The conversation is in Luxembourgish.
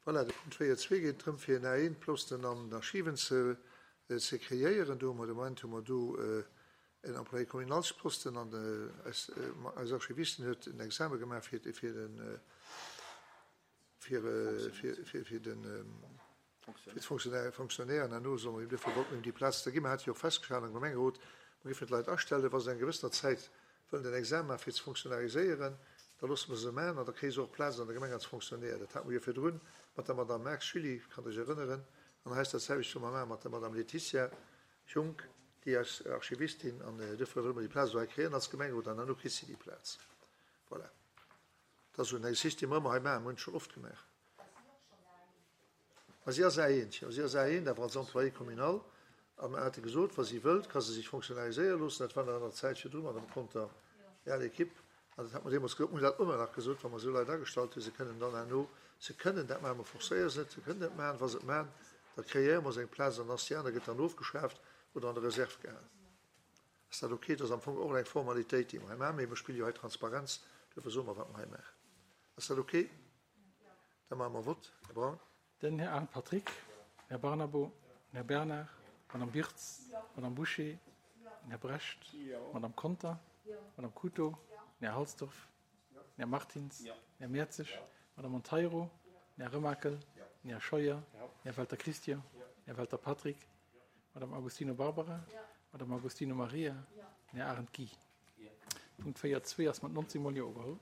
Voilà, de Punkt 4.2 geet drëm, fir en A1-Posten an den Archiven ze ze kreéieren. Do hu mer de Moment hu mer do en Employé communalsposten an eis eis Archivistin huet en Exame gemaach fir fir den fir fir fir den fir d'Fonctionnaire Fonctionnaire an herno solle mer him duerfir wollten mer him déi Plaz da ginn. Mer hate jo och festgehalen am Gemengerot, mer géifen d'Leit astellen, wa se eng gewëssener Zäit wëllen den Examen maachen fir ze fonctionnariséieren, da loosse mer se maachen an da kréie se och Plaz an der Gemeng als Fonctionnaire. Dat hate mer jo virdrun mat der Madame Marx Julie, kann dech erënneren, an hei ass dat selwecht wou mer maache mat der Madame Laetitia Junck, déi eis Archivistin, an duerfir wëlle mer déi Plaz elo hei kréien als Gemengerot an herno kritt si déi Plaz. Voilà. Dat ass esou eng Geschicht, déi mer ëmmer hei maachen, mer hunn et schonn oft gemaach. Ma si ass A1, jo, si ass A1, awer als Employée communal. A mer hate gesot, wa si wëllt, ka se sech fonctionnariséiere loossen. Dat war nach an der Zäit virdru mat dem Konter Real Equipe. An dat hat mer deemools gesot, mer hunn dat ëmmer nach gesot, wa mer esou Leit agestallt hunn, se kënnen dann herno, se kënnen dat maachen, mer forcéiere se net, se kënnen dat maachen. Wa se et maachen, da kreéiere mer se eng Plaz an ass déi aner gëtt dann ofgeschaaft oder an der Reserve gehalen. Ass dat okay? Dat ass am Fong och eng Formalitéit, déi mer hei maachen, mee mer spille jo hei Transparenz, duerfir soe mer, wat mer hei maachen. Ass dat okay? Da maache mer Vott. Här Braun. Den Här Arndt Patrick, den Här Barnabo, den Här Bernard, d'Madame Wirtz, d'Madame Bouché, den Här Brecht, d'Madame Conter, d'Madame Couto, den Här Halsdorf, den Här Martins, den Här Mertzig, d'Madame Monteiro, den Här Remakel, den Här Scheuer, den Här Welter Christian, den Här Welter Patrick, d'Madame Agostino Barbara, d'Madame Agostino Maria, den Här Arendt Guy. Punkt 4.2 ass mat 19 mol Jo ugeholl.